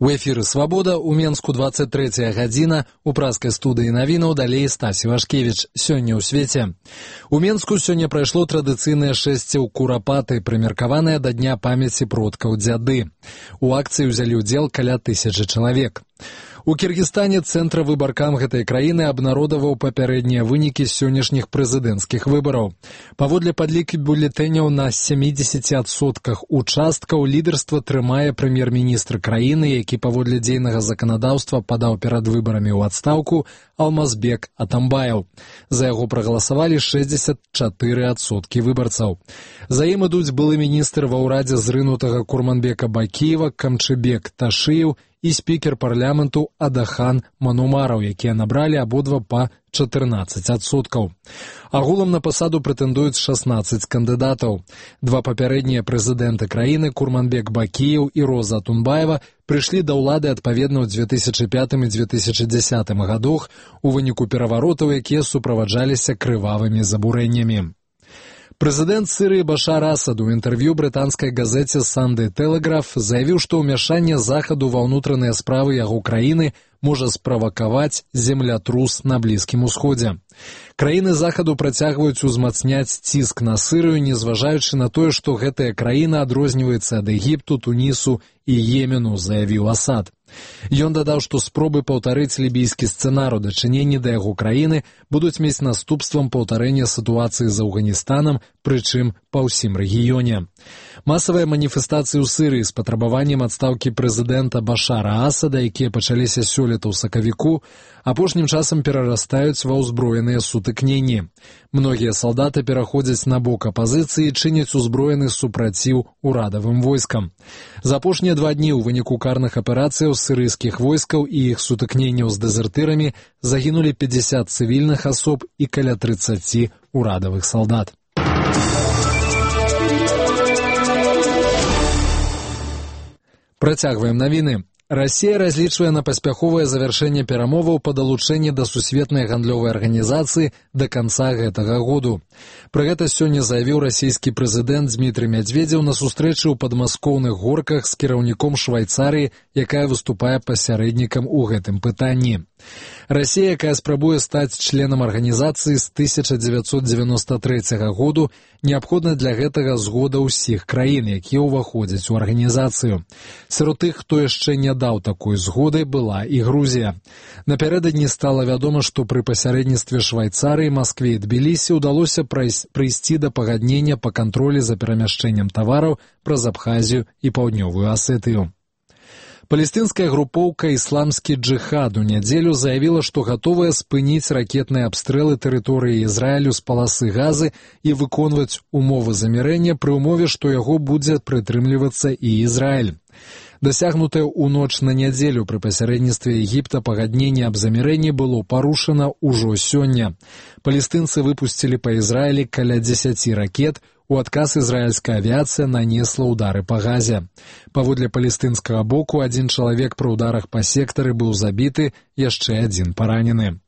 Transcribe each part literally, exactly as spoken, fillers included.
У эфіры «Свабода», у Менску двадцать трэцяя гадзіна, у праскай студыі навінаў далей Стасі Вашкевіч. Сёння ў свеце. У Менску сёння прайшло традыцыйнае шэсце ў курапаты, прымеркаванае да дня памяці продкаў дзяды. У акцыі ўзялі ўдзел каля тысячы чалавек. У Кіргізстане Цэнтр выбаркам гэтай краіны абнародаваў папярэднія вынікі сённяшніх прэзідэнцкіх выбараў. Паводле падлікі бюлетэняў на сямідзесяці адсотках участкаў лідарства трымае прэм'ер-міністр краіны, які паводле дзейнага заканадаўства падаў перад выбарамі ў адстаўку Алмазбек Атамбаев. За яго прагаласавалі шэсцьдзесят чатыры адсоткі выбарцаў. За ім ідуць былы міністр ва ўрадзе зрынутага Курманбека Бакиева Камчыбек Ташыев і спікер парламенту Адахан Манумараў, якія набралі абодва па чатырнаццаць адсоткаў. Агулам на пасаду прэтэндуюць шаснаццаць кандыдатаў. Два папярэднія прэзідэнты краіны Курманбек Бакиев і Роза Тунбаева прыйшлі да ўлады адпаведна ў дзве тысячы пятым і дзве тысячы дзесятым гадах у выніку пераваротаў, якія суправаджаліся крывавымі забурэннямі. Прэзідэнт Сірыі Башар Асад у інтэрв'ю брытанскай газеце «Санды Тэлеграф» заявіў, што ўмяшанне Захаду ва ўнутраныя справы яго краіны можа справакаваць землятрус на Блізкім Усходзе. Краіны Захаду працягваюць узмацняць ціск на Сірыю, незважаючы на тое, што гэтая краіна адрозніваецца ад Егіпту, Тунісу і Йемену, заявіў Асад. Ён дадаў, што спробы паўтарыць лібійскі сцэнар у дачыненні да яго краіны будуць мець наступствам паўтарэння сітуацыі з Афганістанам, прычым па ўсім рэгіёне. Масавыя маніфестацыі ў Сірыі з патрабаваннем адстаўкі прэзідэнта Башара Асада, якія пачаліся сёлета ў сакавіку, апошнім часам перарастаюць ва ўзброеныя сутыкненні. Многія салдаты пераходзяць на бок апазіцыі і чыняць узброены супраціў урадавым войскам. За апошнія два дні ў выніку карных аперацыяў сірыйскіх войскаў і іх сутыкненняў з дэзертырамі загінулі пятьдесят цывільных асоб і каля трыццаць урадавых салдат. Працягваем навіны. Расія разлічвае на паспяховае завяршэнне перамоваў па далучэнні да сусветнай гандлёвай арганізацыі да канца гэтага году. Пра гэта сёння заявіў расійскі прэзідэнт Дмітрый Мядзведзеў на сустрэчы ў падмаскоўных горках з кіраўніком Швайцарыі, якая выступае пасярэднікам у гэтым пытанні. Расія, якая спрабуе стаць членам арганізацыі з тысяча дзевяцьсот дзевяноста трэцяга году, неабходна для гэтага згода ўсіх краін, якія ўваходзяць у арганізацыю. Сярод тых, хто яшчэ не даў такой згоды, была і Грузія. Напярэдадні стала вядома, што пры пасярэдніцтве Швайцарыі, Маскве і Тбілісі ўдалося прыйсці да пагаднення па кантролі за перамяшчэннем тавараў праз Абхазію і Паўднёвую Асетыю. Палестынская групоўка «Ісламскі джыхад» у нядзелю заявіла, што гатовая спыніць ракетныя абстрэлы тэрыторыі Ізраілю з паласы Газы і выконваць умовы замірэння пры ўмове, што яго будзе прытрымлівацца і Ізраіль. Дасягнутае ў ноч на нядзелю пры пасярэдніцтве Егіпта пагадненне аб замірэнні было парушана ўжо сёння. Палестынцы выпусцілі па Ізраілі каля дзесяці ракет, у адказ ізраільская авіяцыя нанесла ўдары па Газе. Паводле палестынскага боку, адзін чалавек пры ўдарах па сектары быў забіты, яшчэ адзін паранены.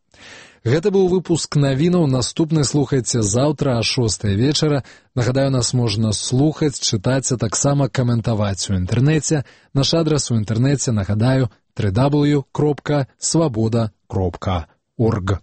Гэта быў выпуск навінаў. Наступны слухайце заўтра а шостай вечара. Нагадаю, нас можна слухаць, чытаць, а таксама каментаваць у інтэрнэце. Наш адрас у інтэрнэце, нагадаю, дабл ю дабл ю дабл ю крапка свабода крапка орг.